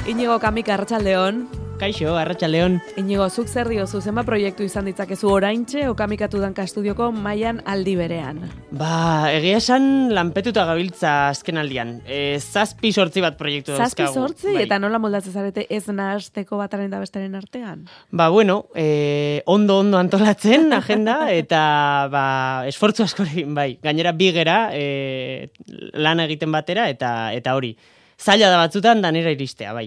Inigo Kamika, arratsaldeon. Kaixo, arratsaldeon. Inigo, zuk zer diozu, zenba proiektu izan ditzakezu oraintxe Okamikatu danka estudioko mailan aldi berean? Egia esan lanpetuta gabiltza azken aldian. 7-8 bat proiektu dauzkagu. 7-8? Bai. Eta nola moldatzen zarete ez nahasteko bataren da bestaren artean? Ondo antolatzen agenda eta esfortzu askorekin, bai. Gainera bigera lan egiten batera eta hori. Zaila da batzutan, danera iristea, bai.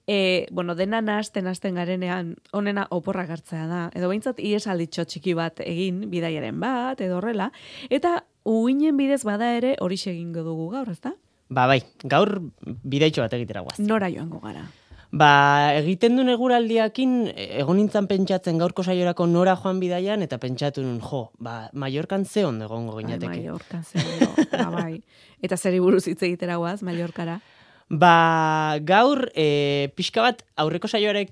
Dena nahasten garenean, onena oporrak hartzea da. Edo behintzat iesalditxo txiki bat egin, bidaiaren bat, edo horrela. Eta uinen bidez bada ere horixe egingo dugu gaur, ezta? Bai, gaur bidaitxo bat egitera guaz. Nora joango gara? Egiten duen eguraldiakin, egon nintzen pentsatzen gaurko saiorako nora joan bidaian, eta pentsatu nun, Mallorcan ze ondo egongo ginateke. Mallorcan ze ondo, bai. Eta zeri buruz hitz egitera guaz, Mallorcara? Gaur, pixka bat aurreko saioari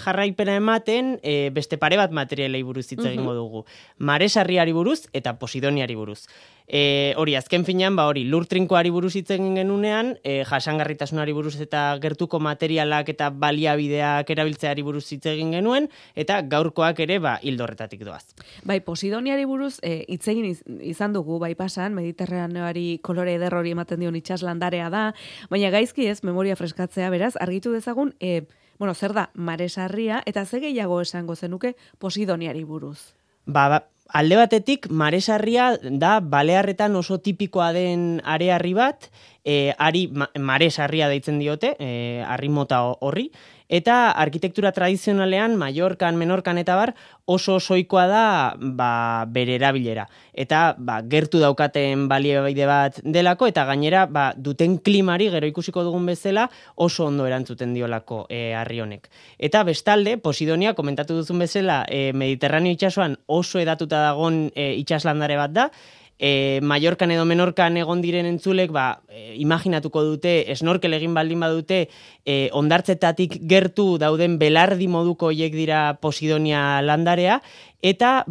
jarraipena ematen, beste pare bat materialei buruz hitz egingo dugu. Maresarriari buruz eta Posidoniari buruz. Hori, azken finean, lur trinkoari buruz hitz egin genunean, jasangarritasunari buruz eta gertuko materialak eta baliabideak erabiltzeari buruz hitz egin genuen, eta gaurkoak ere hildo horretatik doaz. Bai, Posidoniari buruz hitz egin izan dugu, bai pasan, Mediterraneoari kolore eder hori ematen dion itsaslandarea da, baina gaizki ez, memoria freskatzea, beraz, argitu dezagun, zer da Maresarria, eta ze gehiago esango zenuke Posidoniari buruz? Alde batetik, Maresarria da Balearretan oso tipikoa den arearri bat, Maresarria deitzen diote, harri mota horri, eta arkitektura tradizionalean, Mallorcan, Menorcan eta oso osoikoa da bere erabilera. Eta gertu daukaten baliabide bat delako, eta gainera duten klimari, gero ikusiko dugun bezala, oso ondo erantzuten diolako harri honek. Eta bestalde, Posidonia, komentatu duzun bezala, Mediterraneo itsasoan oso edatuta dagon itsaslandare bat da, Mallorcan edo Menorcan egon diren entzulek, imaginatuko dute, snorkel egin baldin badute, ondartzetatik gertu dauden belardi moduko hiek dira Posidonia landarea, eta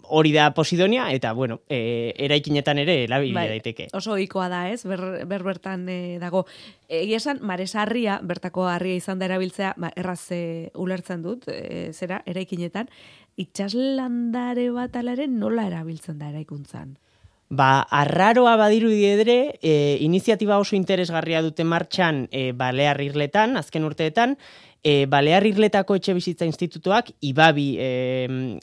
hori da Posidonia, eta eraikinetan ere erabili daiteke. Oso ohikoa da, ez? Bertan dago. Egia esan, Maresarria, bertako harria izan da erabiltzea, erraz ulertzen dut, eraikinetan, itsaslandare bat alaren nola erabiltzen da eraikuntzan? Arraroa badirudi ere, iniziatiba oso interesgarria dute martxan Balear Irletan, azken urteetan, Balear Irletako etxe bizitza institutuak, IBABI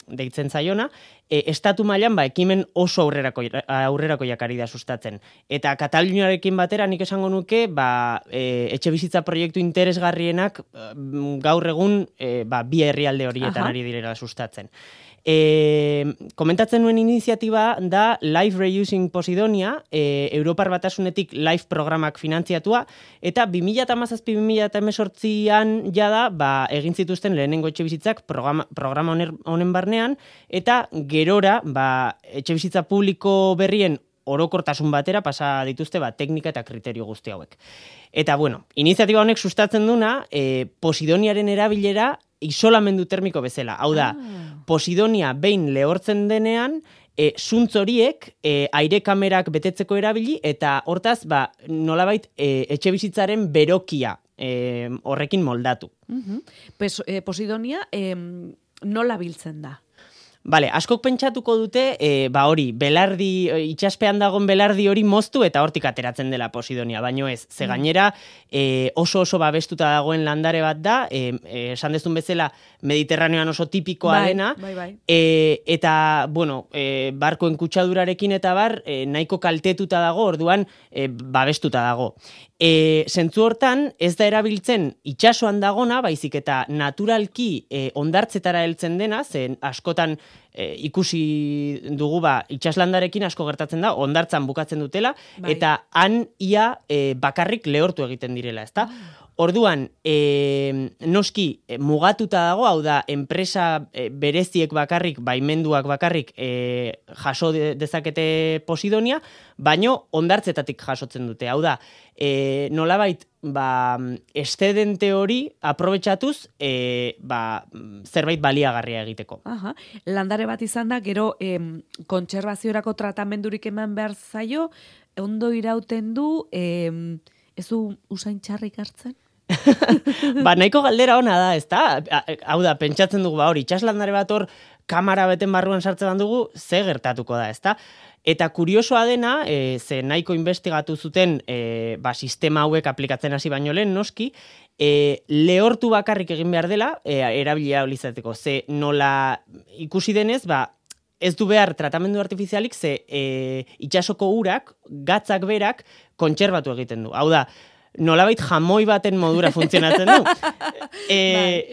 deitzen zaiona, estatu mailan ekimen oso aurrerako jakari da sustatzen. Eta Kataluniarekin batera nik esango nuke, etxe bizitza proiektu interesgarrienak gaur egun bi herrialde horietan ari direla sustatzen. Komentatzen nuen iniziatiba da Life Reusing Posidonia, Europar Batasunetik Life programak finantziatua, eta 2017-2018an jada egin zituzten lehenengo etxe bizitzak programa honen barnean, eta gerora etxe bizitza publiko berrien orokortasun batera pasa dituzte teknika eta kriterio guzti hauek. Eta iniziatiba honek sustatzen duna, Posidoniaren erabilera isolamendu termiko bezala. Hau da, Posidonia behin lehortzen denean, zuntz horiek aire kamerak betetzeko erabili, eta hortaz, nolabait etxe bizitzaren berokia horrekin moldatu. Posidonia nola biltzen da? Askok pentsatuko dute, belardi, itsaspean dagoen belardi hori moztu eta hortik ateratzen dela Posidonia, baino ez. Ze gainera oso babestuta dagoen landare bat da, esan dezun bezala Mediterraneoan oso tipikoa dena, eta, barkoen kutsadurarekin eta nahiko kaltetuta dago, orduan babestuta dago. Zentzu hortan, ez da erabiltzen itsasoan dagona, baizik eta naturalki ondartzetara heltzen dena, zen askotan ikusi dugu itsaslandarekin asko gertatzen da, ondartzan bukatzen dutela, eta han ia bakarrik lehortu egiten direla, ezta? Orduan, noski mugatuta dago, hau da, enpresa bereziek bakarrik, baimenduak bakarrik jaso dezakete Posidonia, baino ondartzetatik jasotzen dute. Hau da, nolabait estedente hori aprobetxatuz zerbait baliagarria egiteko. Landare bat izan da, gero kontserbaziorako tratamendurik eman behar zaio, ondo irauten du, ez du usain txarrik hartzen? Ba, nahiko galdera ona da, ezta? Hau da, pentsatzen dugu, hori, itxaslandare bat hor, kamera beten barruan sartzen dugu, ze gertatuko da, ezta? Eta kuriosoa dena, ze nahiko investigatu zuten sistema hauek aplikatzen hasi baino lehen, noski, lehortu bakarrik egin behar dela, erabilia izateko. Ze nola ikusi denez, ez du behar tratamendu artifizialik, ze itxasoko urak, gatzak berak, kontserbatu egiten du. Hau da, nolabait jamoi baten modura funtzionatzen du.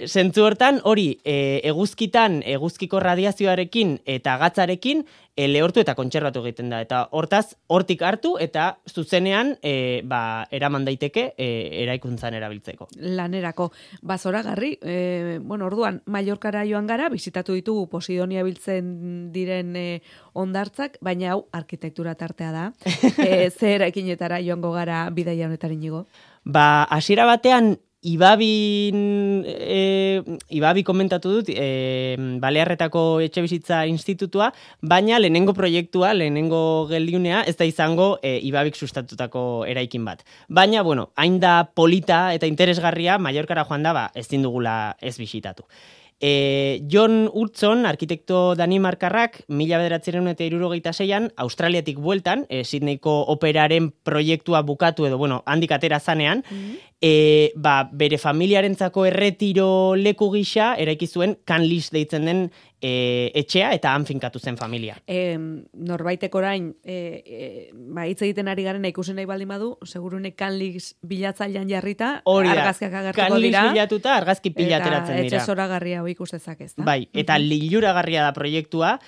Zentzu hortan, hori, eguzkitan, eguzkiko radiazioarekin eta gatzarekin, lehortu eta kontserbatu egiten da. Eta hortaz, hortik hartu eta zuzenean eraman daiteke eraikuntzan erabiltzeko. Lanerako. Zoragarri, orduan, Mallorcara joan gara, bizitatu ditugu Posidonia biltzen diren ondartzak, baina hau arkitektura tartea da. Ze eraikinetara joango gara bidaia honetaren igo? Hasiera batean, Ibabi komentatu dut, Balearretako Etxebizitza Institutua, baina lehenengo proiektua, lehenengo geldiunea, ez da izango Ibabik sustatutako eraikin bat. Baina, hain da polita eta interesgarria, Mallorcara joan da, ezin dugula ez bisitatu. John Hudson, arkitekto danimarkarrak, 1976an, Australiatik bueltan, Sydneyko operaren proiektua bukatu edo, handik atera zanean, bere familiarentzako erretiro leku gisa eraiki zuen Canlis deitzen den etxea eta han finkatu zen familia. Norbaitek orain hitz egiten ari garen ikusen nahi baldin badu, segurune Canlis bilatzailean jarrita, argazkiak agertuko dira. Canlis bilatuta argazki pila ateratzen dira. Etxe zoragarria hau ikus dezakez, da? Bai, eta liluragarria da proiektua,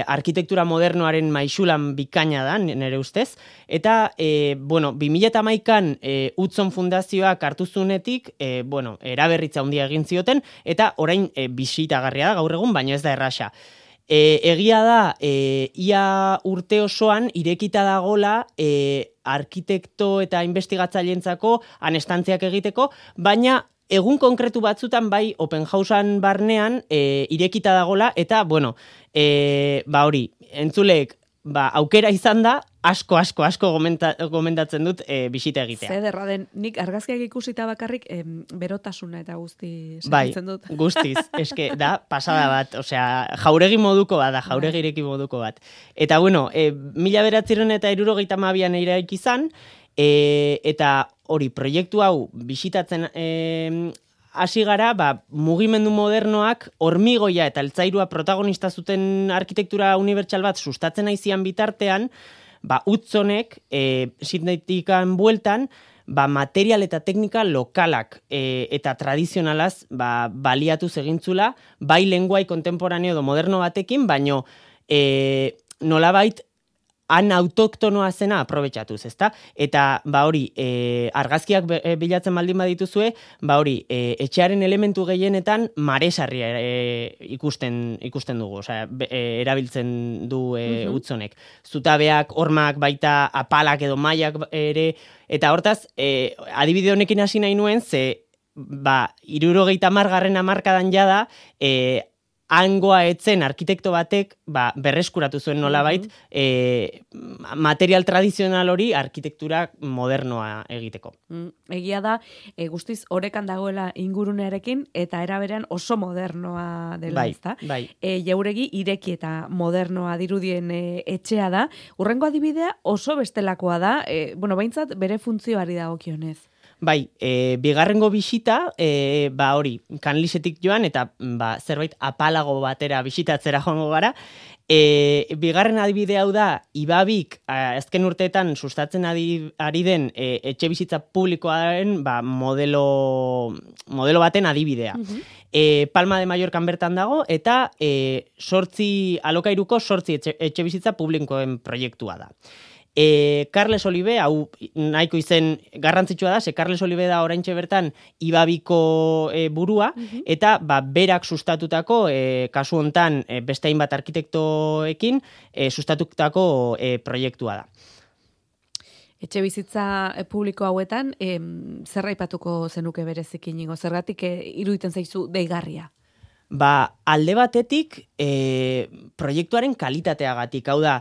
arkitektura modernoaren maisulan bikaina da, nire ustez, eta 2011an Hudson Fundazioak hartu zunetik, eraberritza handia egin zioten, eta orain bisitagarria da gaur egun, baina ez da erraxa. Egia da, ia urte osoan irekita dagola arkitekto eta investigatzaileentzako anestantziak egiteko, baina egun konkretu batzutan bai open housean barnean irekita dagola eta hori, entzuleek aukera izan da asko gomendatzen dut bisita egitea. Zederra den, nik argazkiak ikusita bakarrik berotasuna eta guzti sentitzen dut. Bai, guztiz, eske da pasada bat, jauregi moduko bat da, jauregi ireki moduko bat. Eta 1972an eraiki izan, eta hori, proiektu hau bisitatzen hasi gara, mugimendu modernoak hormigoia eta altzairua protagonista zuten arkitektura unibertsal bat sustatzen aizian bitartean, Hudsonek Sydneytikan bueltan, material eta teknika lokalak eta tradizionalaz baliatuz egintzula, bai lenguai kontemporaneo edo moderno batekin, baino nolabait han autoktonoa zena aprobetxatuz, ezta? Eta, hori, argazkiak bilatzen baldin badituzue, etxearen elementu gehienetan maresarria ikusten dugu, erabiltzen du Hudsonek. Zutabeak, hormak, baita apalak edo mailak ere, eta hortaz, adibide honekin hasi nahi nuen, ze, 70. hamarkadan jada, hangoa etzen arkitekto batek berreskuratu zuen nolabait material tradizional hori arkitektura modernoa egiteko. Egia da, guztiz orekan dagoela ingurunearekin eta eraberean oso modernoa dela, ezta? Bai. Jauregi ireki eta modernoa dirudien etxea da. Hurrengo adibidea oso bestelakoa da, behintzat bere funtzioari dagokionez. Bai, bigarrengo bisita, hori, Canlisetik joan, eta zerbait apalago batera bisitatzera joango gara. Bigarren adibide hau da, Ibabik, azken urteetan sustatzen ari den etxe bizitza publikoaren modelo baten adibidea. Palma de Mallorcan bertan dago, eta alokairuko 8 etxe bizitza publikoen proiektua da. Carles Olive, hau nahiko izen garrantzitsua da, ze Carles Olive da oraintxe bertan Ibabiko burua, eta berak sustatutako, kasu hontan beste hainbat arkitektoekin, sustatutako proiektua da. Etxe bizitza publiko hauetan, zer aipatuko zenuke berezik inigo? Zergatik iruditzen zaizu deigarria? Alde batetik, proiektuaren kalitateagatik, hau da,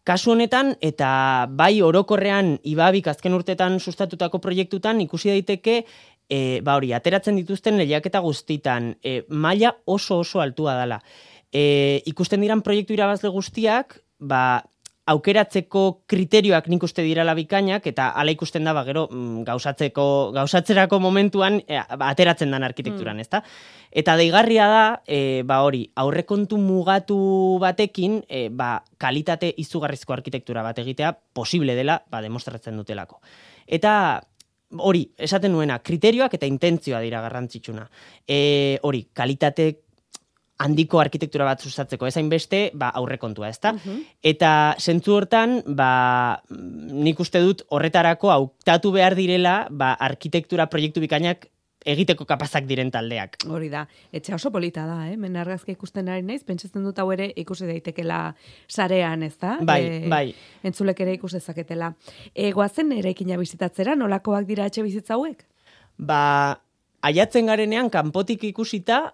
Kasu honetan, eta bai orokorrean Ibabik azken urtetan sustatutako proiektutan ikusi daiteke, ateratzen dituzten lehiaketa guztitan, maila oso altua dela. Ikusten diran proiektu irabazle guztiak, aukeratzeko kriterioak nik uste dirala bikainak, eta ala ikusten da, gero, gauzatzerako momentuan ateratzen den arkitekturan, ezta? Eta deigarria da, aurrekontu mugatu batekin, kalitate izugarrizko arkitektura bat egitea posible dela, demostratzen dutelako. Eta hori, esaten nuena, kriterioak eta intentzioa dira garrantzitsuna. Kalitate handiko arkitektura bat sustatzeko, ezain beste, aurrekontua, ezta? Eta zentzu hortan, nik uste dut horretarako hautatu behar direla, arkitektura proiektu bikainak egiteko kapazak diren taldeak. Hori da, etxe oso polita da, men argazki ikusten ari naiz, pentsatzen dut hau ere ikusi daitekela sarean, ez da? Bai. Entzulek ere ikus dezaketela. Goazen eraikina bizitatzera, nolakoak dira etxe bizitza hauek? Aiatzen garenean, kanpotik ikusita,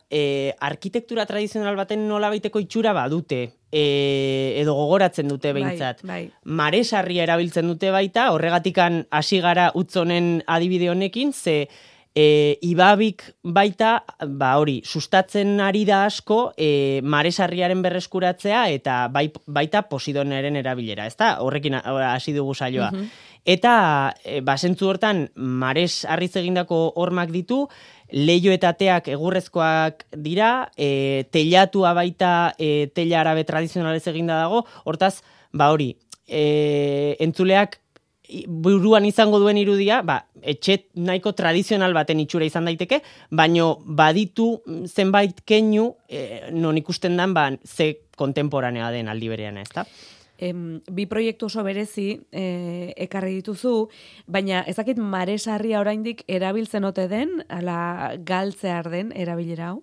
arkitektura tradizional baten nolabaiteko itxura badute, edo gogoratzen dute behintzat. Maresarria erabiltzen dute baita, horregatikan hasi gara utzonen adibide honekin, ze Ibabik baita, sustatzen ari da asko, maresarriaren berreskuratzea eta baita Posidoneren erabilera, ezta? Horrekin hasi dugu saioa. Eta, zentzu hortan, mares harriz egindako hormak ditu, leiho eta ateak egurrezkoak dira, teilatua baita teila arabe tradizionalez eginda dago, hortaz, entzuleak buruan izango duen irudia, etxe nahiko tradizional baten itxura izan daiteke, baino baditu zenbait keinu non ikusten dan ze kontemporanea den aldi berean, ezta? Bi proiektu oso berezi ekarri dituzu, baina ezakit maresarria oraindik erabiltzen ote den, ala galtzear den erabilera hau?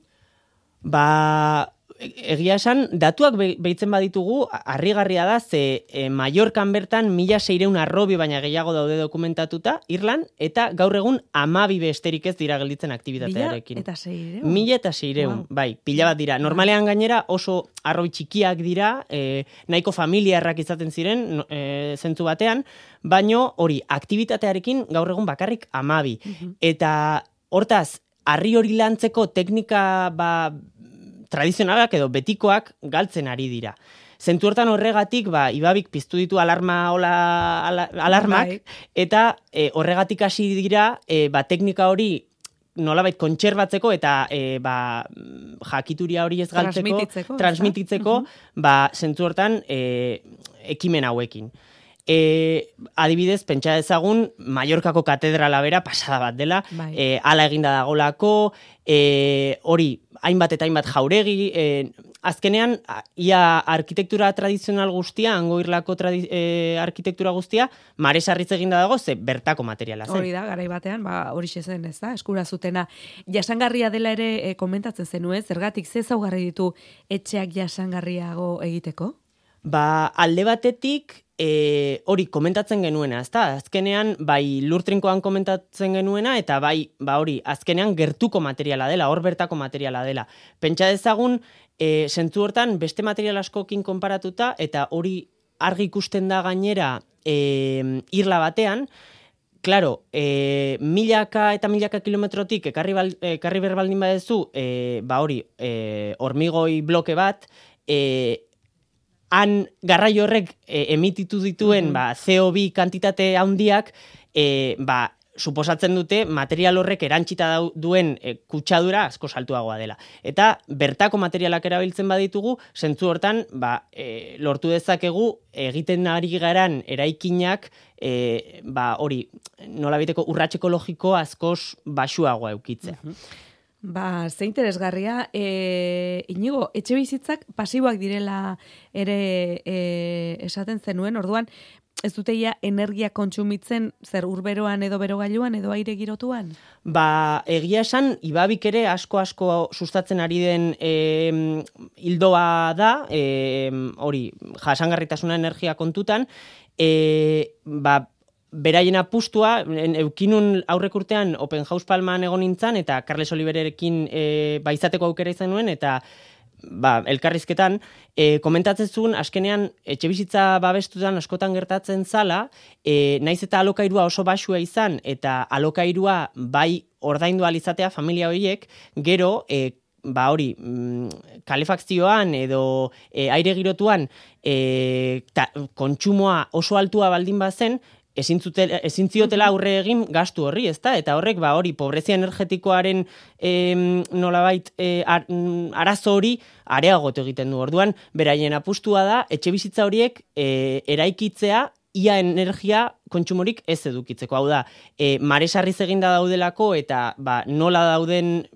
Egia esan, datuak behitzen baditugu, harrigarria da, ze Mallorcan bertan 1.600 arrobi baina gehiago daude dokumentatuta, Irlan, eta gaur egun 12 besterik ez dira gelditzen aktibitatearekin. 1.600, bai, pila bat dira. Normalean gainera oso arrobi txikiak dira, nahiko familiarrak izaten ziren, zentzu batean, baino hori, aktibitatearekin gaur egun bakarrik 12. Eta hortaz, harri hori lantzeko teknika tradizionalak edo betikoak galtzen ari dira. Zentu hortan horregatik, Ibabik piztu ditu alarmak, eta horregatik hasi dira, teknika hori nolabait kontserbatzeko eta jakituria hori ez galtzeko, transmititzeko, zentu hortan ekimen hauekin. Adibidez, pentsa dezagun, Mallorcako katedrala bera pasada bat dela, ala eginda dagolako, hori, hainbat eta hainbat jauregi, azkenean, ia arkitektura tradizional guztia, hango irlako arkitektura guztia, maresarritz eginda dago, ze bertako materiala zen. Hori da, garai batean, hori zen, ez da, eskura zutena. Jasangarria dela ere komentatzen zenuen, zergatik ze ezaugarri ditu etxeak jasangarriago egiteko? Alde batetik, hori komentatzen genuena, ezta? Azkenean, bai lurtrinkoan komentatzen genuena, eta hori, azkenean gertuko materiala dela, hor bertako materiala dela. Pentsa dezagun, zentzu hortan, beste material askokin konparatuta, eta hori argi ikusten da gainera irla batean, claro, milaka eta milaka kilometrotik ekarri berbaldin badezu, hori, hormigoi bloke bat, han garraio horrek emititu dituen CO2 kantitate handiak, suposatzen dute material horrek erantxita duen kutsadura asko saltuagoa dela. Eta bertako materialak erabiltzen baditugu, zentzu hortan lortu dezakegu egiten ari garan eraikinak hori nolabiteko urrats ekologiko askoz baxuagoa eukitzea. Ze interesgarria, Inigo, etxe bizitzak pasiboak direla ere esaten zenuen, orduan, ez dute energia kontsumitzen zer urberoan edo berogailuan edo aire girotuan? Egia esan, Ibabik ere asko sustatzen ari den hildoa da, hori, jasangarritasuna energia kontutan, beraien apustua, eukinun aurrek urtean Open House Palman egon nintzen, eta Carles Olivererekin izateko aukera izan nuen, eta elkarrizketan, komentatzen zuen, azkenean, etxebizitza babestutan askotan gertatzen zala, naiz eta alokairua oso baxua izan, eta alokairua bai ordaindu alizatea familia horiek, gero, hori, kalefakzioan edo aire girotuan kontsumoa oso altua baldin bazen, ezin ziotela aurre egin gastu horri, ezta? Eta horrek, hori, pobrezia energetikoaren nolabait arazo hori areagotu egiten du. Orduan, beraien apustua da, etxebizitza horiek eraikitzea ia energia kontsumorik ez edukitzeko. Hau da, maresarriz eginda daudelako eta nola dauden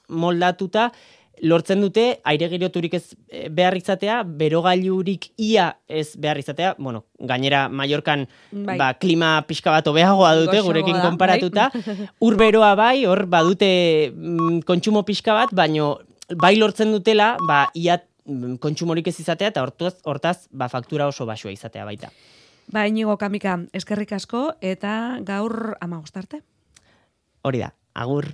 moldatuta, lortzen dute aire giroturik ez behar izatea, berogailurik ia ez behar izatea, gainera Mallorcan klima pixka bat hobeagoa dute gurekin konparatuta, urberoa bai, hor badute kontsumo pixka bat, baino bai lortzen dutela, ia kontsumorik ez izatea, eta hortaz faktura oso baxua izatea baita. Inigo Kamika, eskerrik asko, eta gaur 15 arte. Hori da, agur.